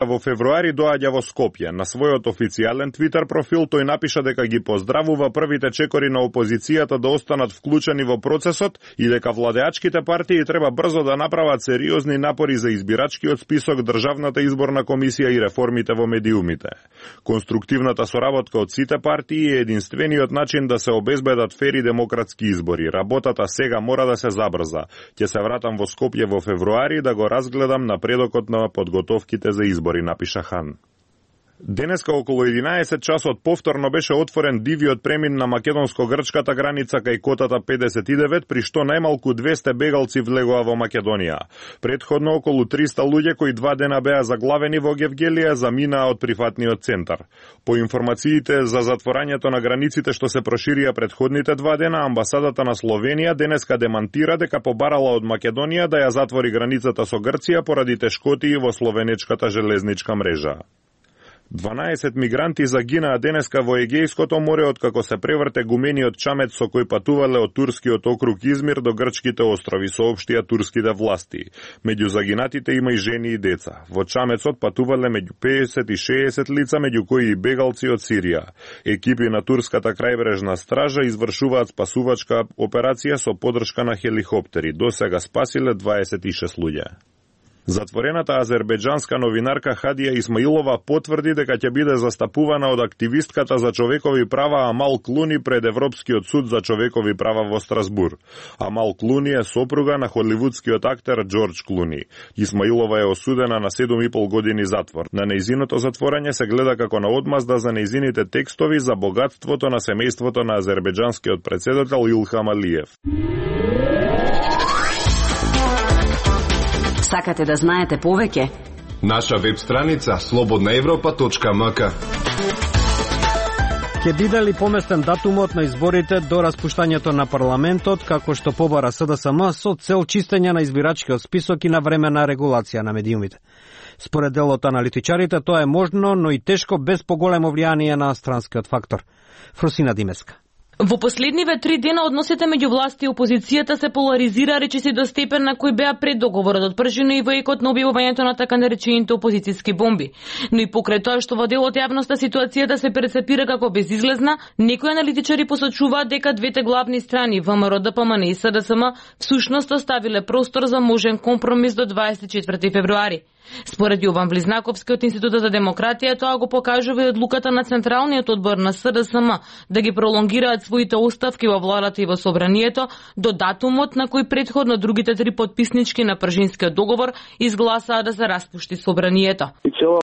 Во февруари доаѓа во Скопје. На својот официјален Твитер профил тој напиша дека ги поздравува првите чекори на опозицијата да останат вклучени во процесот и дека владеачките партии треба брзо да направат сериозни напори за избирачкиот список, државната изборна комисија и реформите во медиумите. Конструктивната соработка од сите партии е единствениот начин да се обезбедат фери демократски избори. Работата сега мора да се забрза. Ќе се вратам во Скопје во февруари да го разгледам напредокот на подготовките за избори, напиша Хан. Денеска околу 11 часот повторно беше отворен дивиот премин на македонско-грчката граница кај котата 59, при што најмалку 200 бегалци влегоа во Македонија. Предходно околу 300 луѓе кои 2 дена беа заглавени во Гевгелија заминаа од прифатниот центар. По информациите за затворањето на границите што се проширија предходните 2 дена, амбасадата на Словенија денеска демантира дека побарала од Македонија да ја затвори границата со Грција поради тешкотии во словенечката железничка мрежа. 12 мигранти загинаа денеска во Егејското море откако се преврте гумениот чамет со кој патувале од турскиот округ Измир до грчките острови, соопштија турските власти. Меѓу загинатите има и жени и деца. Во чамецот патувале меѓу 50 и 60 лица, меѓу кои и бегалци од Сирија. Екипи на турската крајбрежна стража извршуваат спасувачка операција со поддршка на хеликоптери. До сега спасиле 26 луѓе. Затворената азербејџанска новинарка Хадија Исмаилова потврди дека ќе биде застапувана од активистката за човекови права Амал Клуни пред Европскиот суд за човекови права во Страсбур. Амал Клуни е сопруга на холивудскиот актер Џорџ Клуни. Исмаилова е осудена на 7,5 години затвор. На нејзиното затворање се гледа како на одмазда за нејзините текстови за богатството на семејството на азербејџанскиот претседател Илхам Алиев. Сакате да знаете повеќе? Наша веб страница slobodnaevropa.mk. Ќе биде ли поместен датумот на изборите до распуштањето на парламентот, како што побара СДСМ со цел чистење на избирачкиот список и на времена регулација на медиумите? Според дел од аналитичарите тоа е можно, но и тешко без поголемо влијание на странскиот фактор. Фросина Димеска. Во последниве 3 дена односите меѓу власт и опозицијата се поларизира речиси до степен на кој беа пред договорот отпржено и во екот на објавувањето на така наречените опозицијски бомби. Но и покрај тоа што во дел од јавноста ситуацијата се перцепира како безизлезна, некои аналитичари посочуваат дека двете главни страни, ВМРО, ДПМН и СДСМ, всушност оставиле простор за можен компромис до 24 февруари. Според Јован Влизнаковски од Институтот за демократија, тоа го покажува и одлуката на Централниот одбор на СДСМ да ги пролонгираат своите оставки во владата и во собранието до датумот на кој предходно другите 3 потписнички на Пржинскиот договор изгласаа да се распушти собранието. И цела